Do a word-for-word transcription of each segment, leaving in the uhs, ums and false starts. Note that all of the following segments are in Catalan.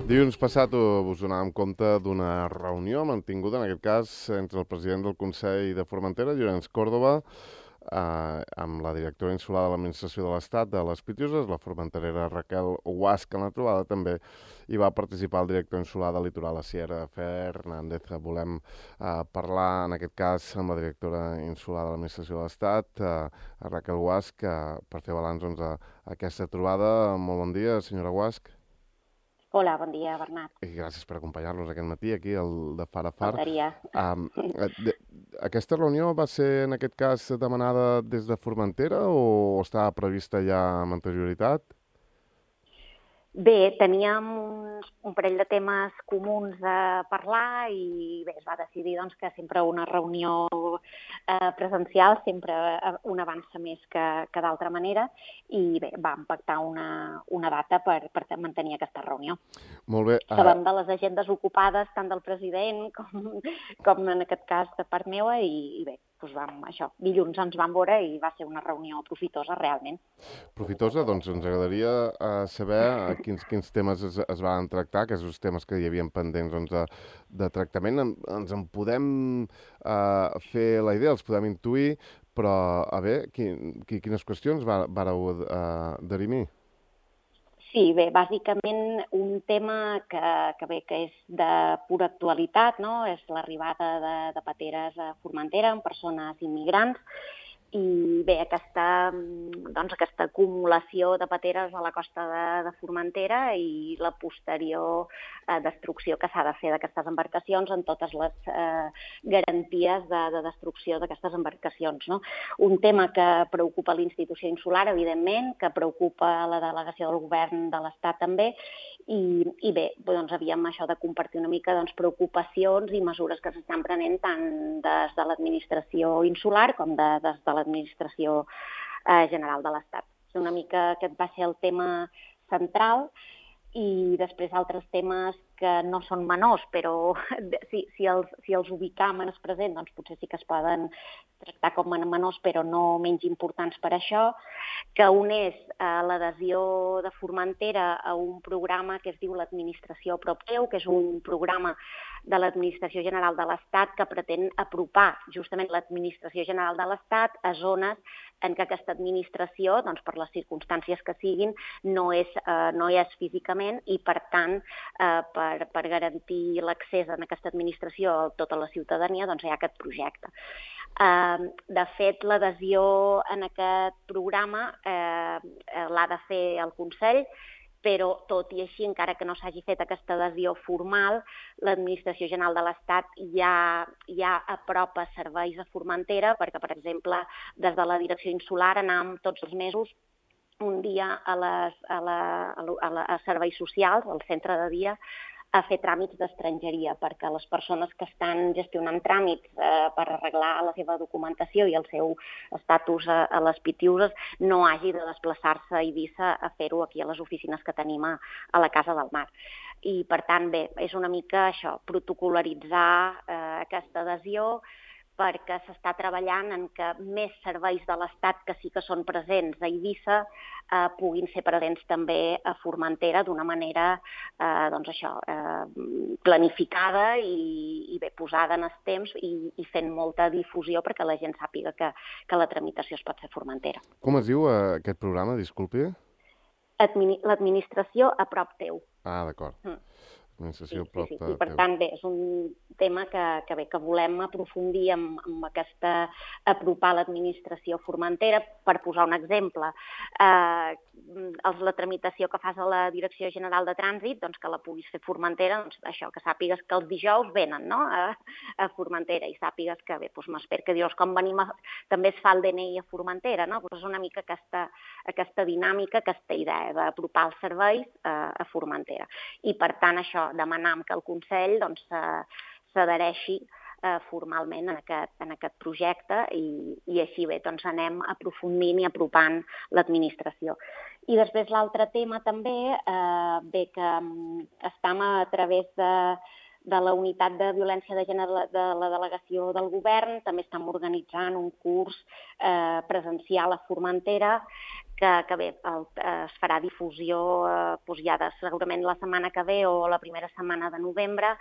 Dilluns passat us donàvem compte d'una reunió mantinguda, en aquest cas, entre el president del Consell de Formentera, Llorenç Córdoba, eh, amb la directora insular de l'Administració de l'Estat de les Pitiuses, la formenterera Raquel Guasch. En la trobada també hi va participar el director insular de Litoral, Asier Fernández. Volem eh, parlar, en aquest cas, amb la directora insular de l'Administració de l'Estat, eh, Raquel Guasch, eh, per fer balanç doncs, a aquesta trobada. Molt bon dia, senyora Guasch. Hola, bon dia, Bernat. I gràcies per acompanyar-nos aquest matí aquí, al de Far a Far. Faltaria. Um, de, aquesta reunió va ser, en aquest cas, demanada des de Formentera o estava prevista ja amb anterioritat? Bé, teníem uns, un parell de temes comuns a parlar i bé, es va decidir doncs, que sempre una reunió eh, presencial sempre un avança més que, que d'altra manera i bé, vam pactar una, una data per, per mantenir aquesta reunió. Molt bé. Uh... Sabem de les agendes ocupades tant del president com, com en aquest cas de part meua i, i bé, doncs vam, això, dilluns ens vam veure i va ser una reunió profitosa realment. Profitosa, doncs ens agradaria uh, saber quins, quins temes es, es van tractar, aquests temes que hi havien pendents doncs, de, de tractament. En, ens en podem uh, fer la idea, els podem intuir, però a veure, quin, quines qüestions va, vareu uh, derimir? Sí, bé, bàsicament un tema que, que bé que és de pura actualitat, no? És l'arribada de, de pateres a Formentera amb persones immigrants i bé, aquesta, doncs, aquesta acumulació de pateres a la costa de, de Formentera i la posterior eh, destrucció que s'ha de fer d'aquestes embarcacions en totes les eh, garanties de, de destrucció d'aquestes embarcacions. No? Un tema que preocupa l'institució insular, evidentment, que preocupa la delegació del govern de l'Estat també, i, i bé, doncs havíem això de compartir una mica doncs, preocupacions i mesures que s'estan prenent tant des de l'administració insular com de, des de l'administració eh, general de l'Estat. Una mica aquest va ser el tema central i després altres temes que no són menors, però si, si, els, si els ubicam en el present, doncs potser sí que es poden tractar com a menors, però no menys importants per això, que un és eh, l'adhesió de Formentera a un programa que es diu l'Administració a prop teu, que és un programa de l'Administració General de l'Estat que pretén apropar justament l'Administració General de l'Estat a zones en què aquesta administració, doncs, per les circumstàncies que siguin, no és, eh, no hi és físicament i, per tant, eh, per, per garantir l'accés a aquesta administració a tota la ciutadania, doncs hi ha aquest projecte. Eh, de fet, l'adhesió en aquest programa eh, l'ha de fer el Consell, però tot i així, encara que no s'hagi fet aquesta adhesió formal, l'Administració General de l'Estat ja, ja apropa serveis a Formentera, perquè, per exemple, des de la direcció insular anàvem tots els mesos un dia a, les, a, la, a, la, a serveis socials, al centre de dia, a fer tràmits d'estrangeria, perquè les persones que estan gestionant tràmits eh, per arreglar la seva documentació i el seu estatus a, a les Pitiuses no hagi de desplaçar-se a Eivissa a fer-ho aquí a les oficines que tenim a, a la Casa del Mar. I, per tant, bé, és una mica això, protocolaritzar eh, aquesta adhesió, perquè s'està treballant en que més serveis de l'Estat que sí que són presents a Eivissa eh, puguin ser presents també a Formentera d'una manera eh, doncs això, eh, planificada i, i bé posada en els temps i, i fent molta difusió perquè la gent sàpiga que, que la tramitació es pot fer a Formentera. Com es diu eh, aquest programa, disculpi? Admini- L'administració a prop teu. Ah, d'acord. Mm. Sí, sí, sí, sí. I per tant, bé, és un tema que, que, bé, que volem aprofundir amb, amb aquesta apropar l'administració Formentera. Per posar un exemple, eh, la tramitació que fas a la Direcció General de Trànsit, doncs que la puguis fer Formentera, doncs això, que sàpigues que els dijous venen, no?, a, a Formentera i sàpigues que, bé, doncs m'espero que dijous com venim a, també es fa el D N I a Formentera, no? Doncs és una mica aquesta, aquesta dinàmica, aquesta idea d'apropar els serveis a, a Formentera. I per tant, això, demanam que el Consell doncs, s'adhereixi eh, formalment en aquest, en aquest projecte i, i així bé, doncs anem aprofundint i apropant l'administració. I després l'altre tema també, eh, bé que estem a través de, de la unitat de violència de gènere de la delegació del govern, també estem organitzant un curs eh, presencial a Formentera que, que bé, el, es farà difusió eh, doncs ja de, segurament la setmana que ve o la primera setmana de novembre,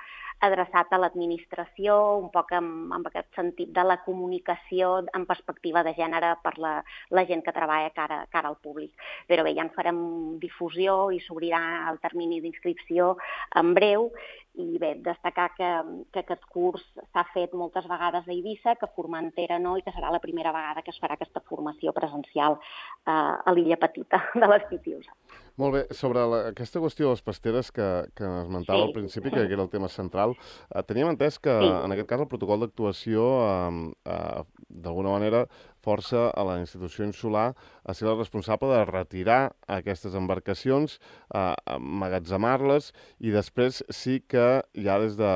adreçat a l'administració, un poc amb, amb aquest sentit de la comunicació en perspectiva de gènere per la, la gent que treballa cara, cara al públic. Però bé, ja en farem difusió i s'obrirà el termini d'inscripció en breu. I bé, destacar que, que aquest curs s'ha fet moltes vegades a Eivissa, que a Formentera no, i que serà la primera vegada que es farà aquesta formació presencial eh, a l'illa petita de les Pitius. Molt bé, sobre la, aquesta qüestió de les pasteres que, que esmentava sí. al principi, que era el tema central, eh, teníem entès que sí. en aquest cas el protocol d'actuació eh, eh, d'alguna manera força a la institució insular a ser la responsable de retirar aquestes embarcacions, eh, emmagatzemar-les i després sí que ja des de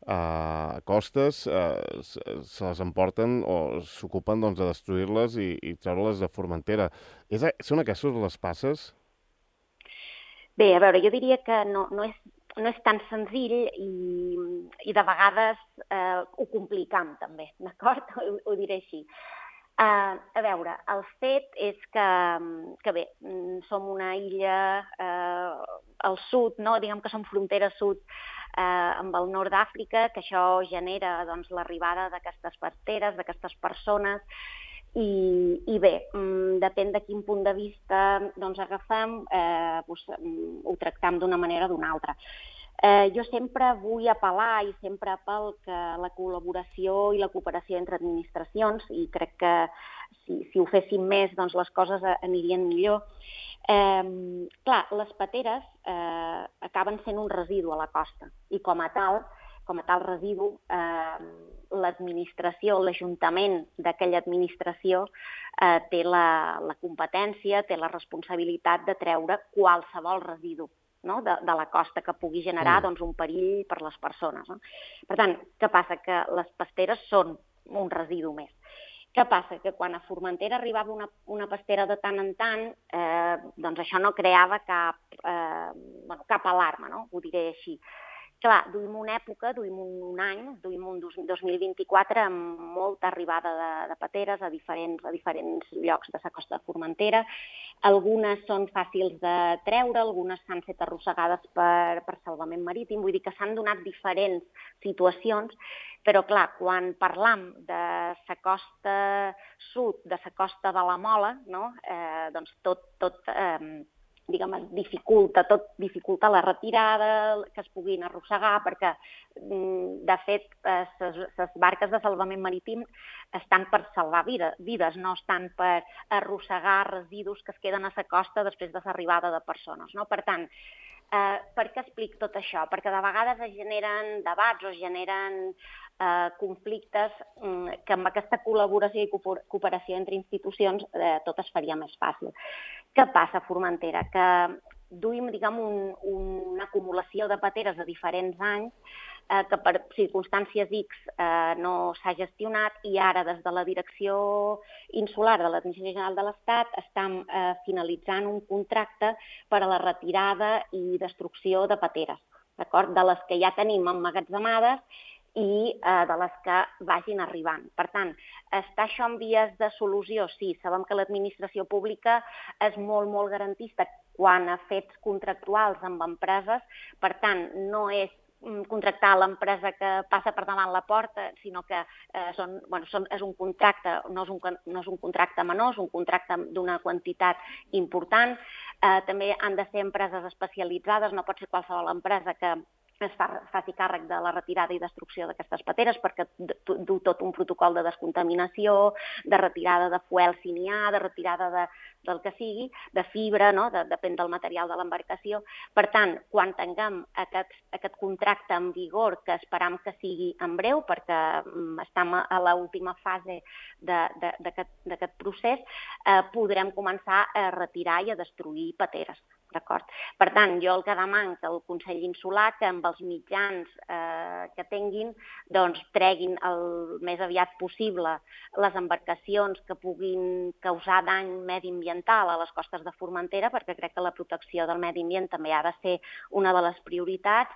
a costes eh, se les emporten o s'ocupen doncs, de destruir-les i, i treure-les de Formentera. És, són aquestes les passes? Bé, a veure, jo diria que no, no, és, no és tan senzill i, i de vegades eh, ho complicam també, d'acord? Ho, ho diré així. Uh, a veure, el fet és que, que bé, som una illa uh, al sud, no? Diguem que som frontera sud uh, amb el nord d'Àfrica, que això genera doncs, l'arribada d'aquestes pasteres, d'aquestes persones, i, i bé, um, depèn de quin punt de vista doncs, agafem, eh, doncs, um, ho tractem d'una manera o d'una altra. Eh, jo sempre vull apel·lar i sempre apel que la col·laboració i la cooperació entre administracions, i crec que si, si ho féssim més, doncs les coses anirien millor. Eh, clar, les pateres eh, acaben sent un residu a la costa i com a tal, com a tal residu, eh, l'administració, l'Ajuntament d'aquella administració eh, té la, la competència, té la responsabilitat de treure qualsevol residu, no? de, de la costa que pugui generar mm. doncs, un perill per les persones. No? Per tant, què passa? Que les pasteres són un residu més. Què passa? Que quan a Formentera arribava una, una pastera de tant en tant, eh, doncs això no creava cap, eh, bueno, cap alarma, no? Ho diré així. Clar, duim una època, duim un any, duim un dos mil vint-i-quatre amb molta arribada de, de pateres a diferents, a diferents llocs de la costa de Formentera. Algunes són fàcils de treure, algunes s'han fet arrossegades per, per salvament marítim, vull dir que s'han donat diferents situacions, però clar, quan parlam de la costa sud, de la costa de la Mola, no? eh, doncs tot... tot eh, diguem, dificulta, tot dificulta la retirada, que es puguin arrossegar, perquè, de fet, les barques de salvament marítim estan per salvar vides, no estan per arrossegar residus que es queden a la costa després de l'arribada de persones. No? Per tant, eh, per què explic tot això? Perquè de vegades es generen debats o es generen eh, conflictes eh, que amb aquesta col·laboració i cooperació entre institucions eh, tot es faria més fàcil. Què passa a Formentera? Que duim, diguem, un, una acumulació de pateres de diferents anys eh, que per circumstàncies X eh, no s'ha gestionat i ara des de la Direcció Insular de l'Administració General de l'Estat estem eh, finalitzant un contracte per a la retirada i destrucció de pateres, d'acord? De les que ja tenim emmagatzemades i eh, de les que vagin arribant. Per tant, està això en vies de solució? Sí, sabem que l'administració pública és molt, molt garantista quan a fets contractuals amb empreses, per tant, no és contractar l'empresa que passa per davant la porta, sinó que eh, són, bueno, són, és un contracte, no és un, no és un contracte menor, és un contracte d'una quantitat important. Eh, també han de ser empreses especialitzades, no pot ser qualsevol empresa que es fa, faci càrrec de la retirada i destrucció d'aquestes pateres perquè du tot un protocol de descontaminació, de retirada de fuel si n'hi ha, de retirada de, del que sigui, de fibra, no? de, depèn del material de l'embarcació. Per tant, quan tinguem aquest, aquest contracte en vigor, que esperam que sigui en breu, perquè um, estem a l'última fase d'aquest procés, eh, podrem començar a retirar i a destruir pateres. Per tant, jo el que demano que el Consell Insular, que amb els mitjans eh, que tinguin, doncs treguin el més aviat possible les embarcacions que puguin causar dany mediambiental a les costes de Formentera, perquè crec que la protecció del medi ambient també ha de ser una de les prioritats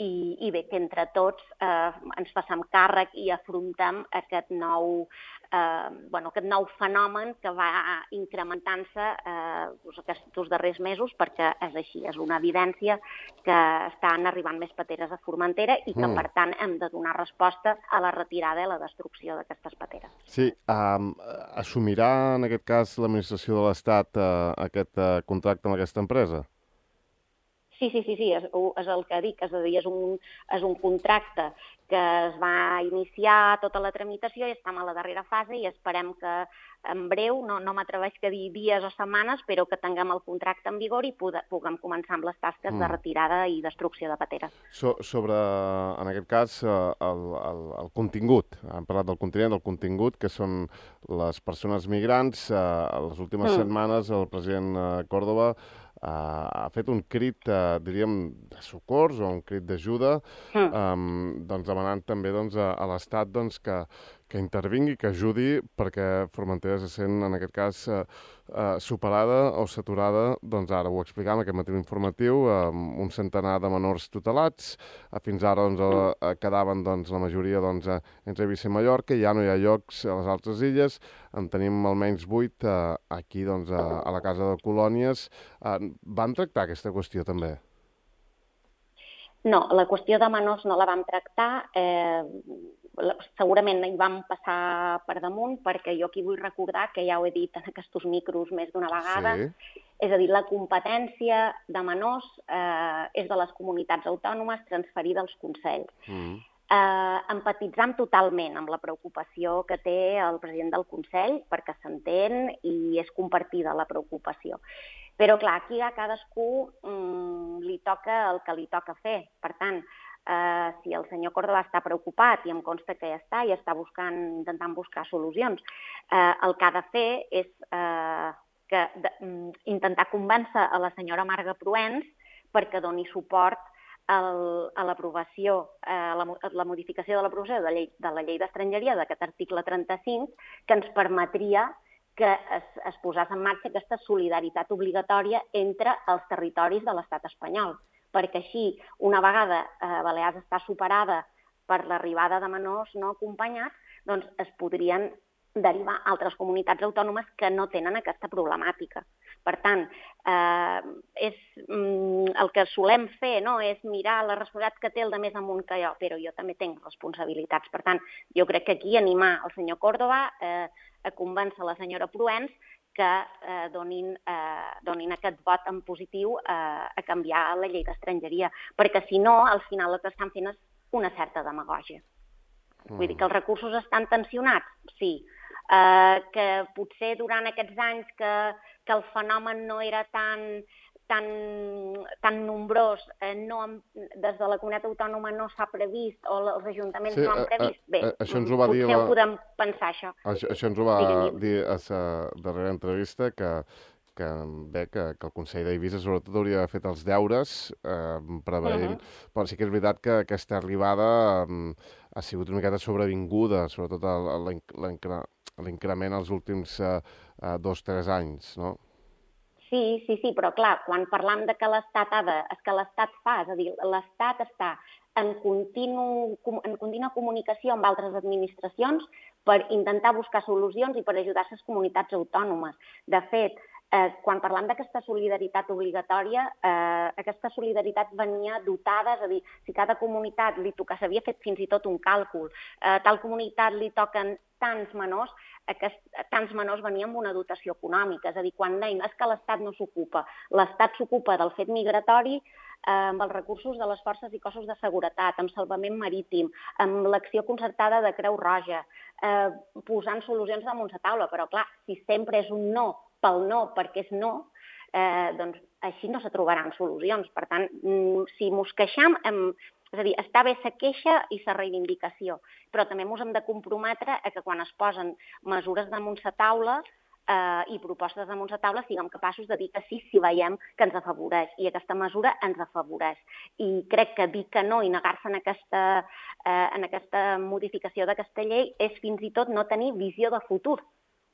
i, i bé, que entre tots eh, ens facem càrrec i afrontem aquest nou, eh, bueno, aquest nou fenomen que va incrementant-se eh, aquests darrers mesos, perquè és així, és una evidència que estan arribant més pateres a Formentera i que, mm. per tant, hem de donar resposta a la retirada i la destrucció d'aquestes pateres. Sí, um, assumirà en aquest cas l'administració de l'Estat uh, aquest uh, contracte amb aquesta empresa? Sí, sí, sí, sí, és, és el que dic, és a dir, és un, és un contracte que es va iniciar tota la tramitació i estem a la darrera fase i esperem que en breu, no, no m'atreveix a dir dies o setmanes, però que tinguem el contracte en vigor i puguem començar amb les tasques mm. de retirada i destrucció de pateres. So, sobre, en aquest cas, el, el, el contingut, hem parlat del continent, del contingut, que són les persones migrants. A les últimes mm. setmanes el president Córdoba Uh, ha fet un crit, uh, diríem, de socors o un crit d'ajuda, mm. um, doncs demanant també doncs, a, a l'Estat doncs, que, que intervingui, que ajudi, perquè Formentera se sent, en aquest cas, uh, uh, superada o saturada, doncs ara ho explicàvem, aquest matí informatiu, amb un centenar de menors tutelats. Uh, fins ara doncs, uh, quedaven doncs, la majoria doncs, uh, entre Eivissa i Mallorca, ja no hi ha llocs a les altres illes, en tenim almenys vuit uh, aquí doncs, a, a la Casa de Colònies. Uh, van tractar aquesta qüestió també? No, la qüestió de menors no la vam tractar. Eh, segurament hi vam passar per damunt, perquè jo aquí vull recordar, que ja ho he dit en aquests micros més d'una vegada, sí. És a dir, la competència de menors eh, és de les comunitats autònomes transferida als consells. Mm. Eh, empatitzam totalment amb la preocupació que té el president del Consell, perquè s'entén i és compartida la preocupació. Però, clar, aquí a cadascú mm, li toca el que li toca fer. Per tant, eh, si el senyor Córdoba està preocupat, i em consta que ja està, i està buscant, intentant buscar solucions, eh, el que ha de fer és eh, que, de, mm, intentar convèncer a la senyora Marga Proens perquè doni suport el, a l'aprovació, eh, la, la modificació de l'aprovació de la llei, de la llei d'estrangeria, d'aquest article trenta-cinc, que ens permetria que es, es posés en marxa aquesta solidaritat obligatòria entre els territoris de l'estat espanyol, perquè així, una vegada eh, Balears està superada per l'arribada de menors no acompanyats, doncs es podrien derivar altres comunitats autònomes que no tenen aquesta problemàtica. Per tant, eh, és, mm, el que solem fer no, és mirar la responsabilitat que té el de més amunt que jo, però jo també tinc responsabilitats. Per tant, jo crec que aquí animar el senyor Córdoba eh, a convèncer la senyora Proens que eh, donin, eh, donin aquest vot en positiu eh, a canviar la llei d'estrangeria, perquè si no, al final el que estan fent és una certa demagògia. Mm. Vull dir que els recursos estan tensionats? Sí. Eh, que potser durant aquests anys que, que el fenomen no era tan, tan, tan nombrós, eh, no, des de la comunitat autònoma no s'ha previst o els ajuntaments sí, no han previst, bé, a, a, això ens ho va potser dir la... ho podem pensar, això. Això, això ens ho va Digue'm. dir a la darrera entrevista, que, que bé, que, que el Consell d'Eivissa sobretot hauria d'haver fet els deures eh, preveient, uh -huh. però sí que és veritat que aquesta arribada eh, ha sigut una miqueta sobrevinguda, sobretot l'increment als últims eh, eh, dos o tres anys, no? Sí, sí, sí, però clar, quan parlam de que l'Estat ha de... és que l'Estat fa, és a dir, l'Estat està en, continu, en contínua comunicació amb altres administracions per intentar buscar solucions i per ajudar les comunitats autònomes. De fet, Eh, quan parlam d'aquesta solidaritat obligatòria, eh, aquesta solidaritat venia dotada, és a dir, si cada comunitat li tocava, s'havia fet fins i tot un càlcul, eh, tal comunitat li toquen tants menors, aquest, tants menors venien amb una dotació econòmica, és a dir, quan deim és que l'Estat no s'ocupa, l'Estat s'ocupa del fet migratori eh, amb els recursos de les forces i cossos de seguretat, amb salvament marítim, amb l'acció concertada de Creu Roja, eh, posant solucions damunt la taula, però clar, si sempre és un no pel no, perquè és no, eh, doncs així no se trobaran solucions. Per tant, si mos queixam, hem, és a dir, està bé la queixa i la reivindicació, però també ens hem de comprometre a que quan es posen mesures damunt la taula eh, i propostes damunt la taula siguem capaços de dir que sí si veiem que ens afavoreix, i aquesta mesura ens afavoreix. I crec que dir que no i negar-se en aquesta, eh, en aquesta modificació d'aquesta llei és fins i tot no tenir visió de futur,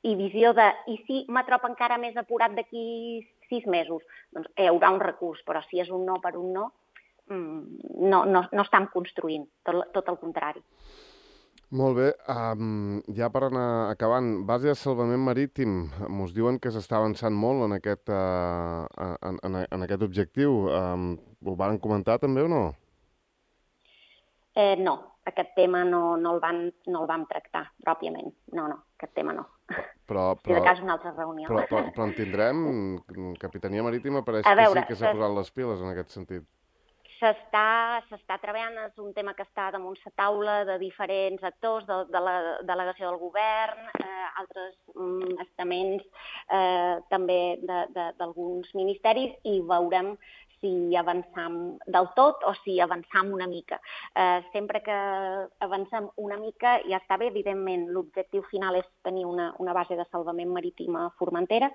i visió de, i si m'atrop encara més apurat d'aquí sis mesos, doncs hi haurà un recurs, però si és un no per un no, no, no, no estem construint, tot, tot el contrari. Molt bé, um, ja per anar acabant, base de salvament marítim, mos diuen que s'està avançant molt en aquest, uh, en, en, en aquest objectiu. Um, ho van comentar també o no? Eh, no, aquest tema no, no, el van, no el vam tractar pròpiament. No, no, aquest tema no. Però, Si de però, cas una altra reunió. però, però, però en tindrem? Capitania Marítima pareix A que veure, sí que s'ha s'es- posat les piles en aquest sentit. S'està s'està treballant, és un tema que està damunt la taula de diferents actors, de, de la delegació del govern, eh, altres mm, estaments, eh, també de- de- d'alguns ministeris, i veurem si avançam del tot o si avançam una mica. Eh, sempre que avancem una mica ja està bé, evidentment l'objectiu final és tenir una, una base de salvament marítim a Formentera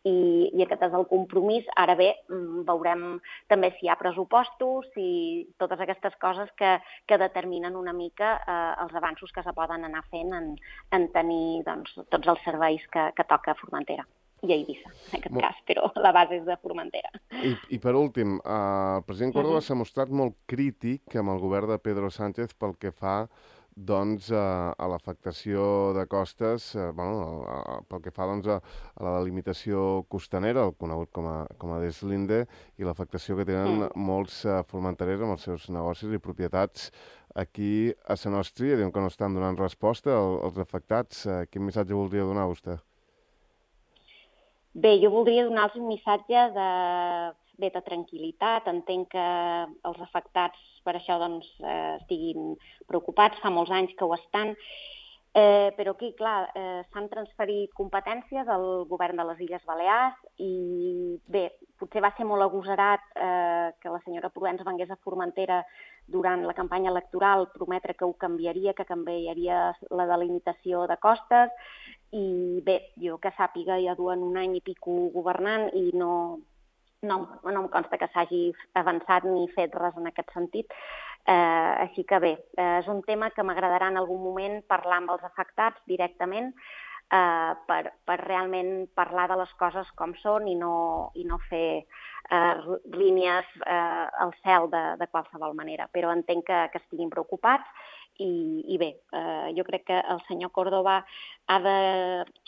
i, i aquest és el compromís. Ara bé, mm, veurem també si hi ha pressupostos, si totes aquestes coses que, que determinen una mica eh, els avanços que se poden anar fent en, en tenir doncs, tots els serveis que, que toca a Formentera i a Eivissa, en aquest Mo- cas, però la base és de Formentera. I, I per últim, eh, el president Córdoba s'ha mostrat molt crític amb el govern de Pedro Sánchez pel que fa doncs, a, a l'afectació de costes, eh, bueno, a, a, pel que fa doncs, a, a la delimitació costanera, el conegut com a, com a deslinde, i l'afectació que tenen Mm. molts eh, formenterers amb els seus negocis i propietats aquí a la Nostria. Diuen que no estan donant resposta als, als afectats. Eh, quin missatge voldria donar vostè? Bé, jo voldria donar-los un missatge de, bé, de tranquil·litat. Entenc que els afectats per això doncs, eh, estiguin preocupats, fa molts anys que ho estan, eh, però aquí, clar, eh, s'han transferit competències al govern de les Illes Balears i, bé, potser va ser molt agosarat eh, que la senyora Provenç vengués a Formentera durant la campanya electoral, prometre que ho canviaria, que canviaria la delimitació de costes, i bé, jo que sàpiga ja duen un any i pico governant i no, no, no em consta que s'hagi avançat ni fet res en aquest sentit. Eh, així que bé, eh, és un tema que m'agradarà en algun moment parlar amb els afectats directament eh, per, per realment parlar de les coses com són i no, i no fer eh, línies eh, al cel de, de qualsevol manera. Però entenc que, que estiguin preocupats i, i bé, eh, jo crec que el senyor Córdoba ha de,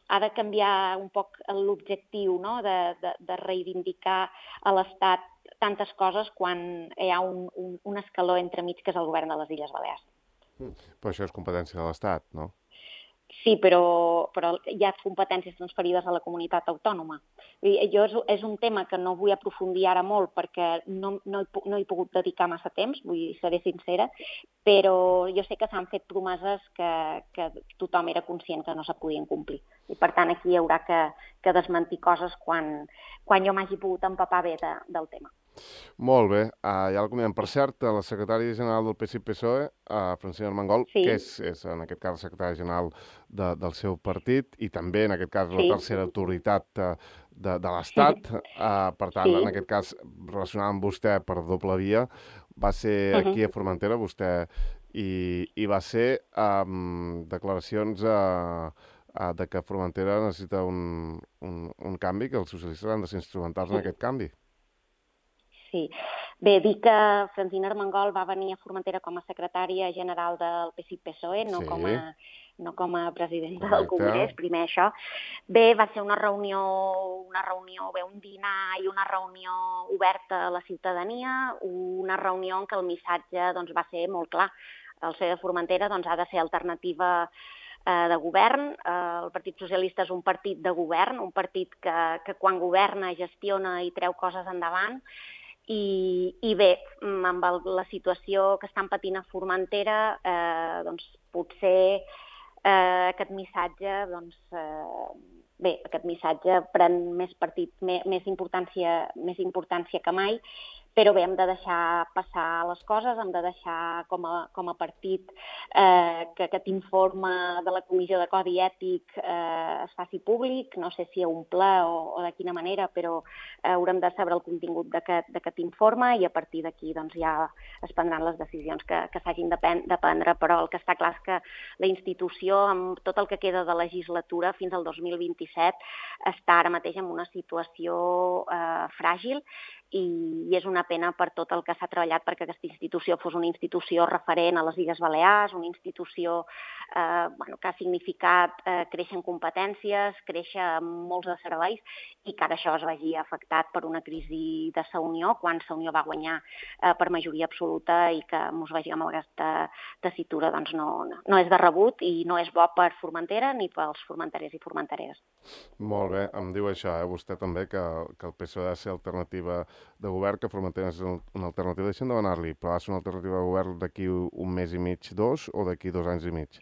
ha de canviar un poc l'objectiu, no? de, de, de reivindicar a l'Estat tantes coses quan hi ha un, un, un escaló entremig que és el govern de les Illes Balears. Però això és competència de l'Estat, no? Sí, però, però hi ha competències transferides a la comunitat autònoma. I jo és, és un tema que no vull aprofundir ara molt perquè no, no, he, no he pogut dedicar massa temps, vull ser sincera, però jo sé que s'han fet promeses que, que tothom era conscient que no se podien complir. I per tant aquí hi haurà que, que desmentir coses quan, quan jo m'hagi pogut empapar bé de, del tema. Molt bé, uh, ja el comentem. Per cert, la secretària general del P S I P S O E, uh, Francina Armengol, Sí. que és, és en aquest cas la secretària general de, del seu partit i també en aquest cas la Sí. tercera autoritat uh, de, de l'Estat, uh, per tant, Sí. en aquest cas relacionada amb vostè per doble via, va ser aquí a Formentera, vostè, i, i va ser um, declaracions uh, uh, de que Formentera necessita un, un, un canvi, que els socialistes han de ser instrumentals en aquest canvi. Sí. Bé, dir que Francina Armengol va venir a Formentera com a secretària general del P S I P S O E, no, Sí. com, a, no com a presidenta Correcte. del Congrés, primer això. Bé, va ser una reunió, una reunió, bé, un dinar i una reunió oberta a la ciutadania, una reunió en què el missatge doncs, va ser molt clar. El C E de Formentera doncs, ha de ser alternativa eh, de govern. Eh, el Partit Socialista és un partit de govern, un partit que, que quan governa gestiona i treu coses endavant. I, i bé, amb el, la situació que estan patint a Formentera, eh, doncs potser eh, aquest missatge, doncs, eh, bé, aquest missatge pren més partit, més, més, importància, més importància que mai, però bé, hem de deixar passar les coses, hem de deixar com a, com a partit eh, que aquest informe de la Comissió de Codi Ètic eh, es faci públic, no sé si a un ple o, o de quina manera, però eh, haurem de saber el contingut d'aquest informe i a partir d'aquí doncs, ja es prendran les decisions que, que s'hagin de, de prendre, però el que està clar és que la institució, amb tot el que queda de legislatura fins al dos mil vint-i-set, està ara mateix en una situació eh, fràgil i és una pena per tot el que s'ha treballat perquè aquesta institució fos una institució referent a les Illes Balears, una institució eh, bueno, que ha significat eh, créixer en competències, créixer en molts de serveis, i que ara això es vegi afectat per una crisi de Sa Unió, quan Sa Unió va guanyar eh, per majoria absoluta, i que ens vegem amb aquesta tessitura doncs no, no és de rebut i no és bo per Formentera ni pels formenterers i formentereres. Molt bé, em diu això, eh, vostè també, que, que el P S O E ha de ser alternativa de govern, que Formentera és una alternativa. Deixem demanar-li, però ha de ser una alternativa de govern d'aquí un mes i mig, dos, o d'aquí dos anys i mig?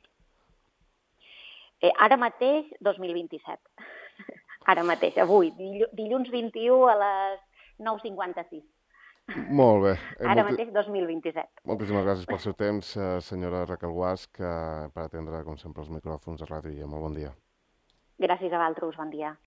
Eh, ara mateix, dos mil vint-i-set. Ara mateix, avui, dilluns vint-i-u a les nou cinquanta-sis. Molt bé. Eh, Ara molti... mateix, dos mil vint-i-set. Moltíssimes gràcies pel seu temps, eh, senyora Raquel Guasch, per atendre, com sempre, els micròfons de Ràdio I. Molt bon dia. Gràcies a vosaltres, bon dia.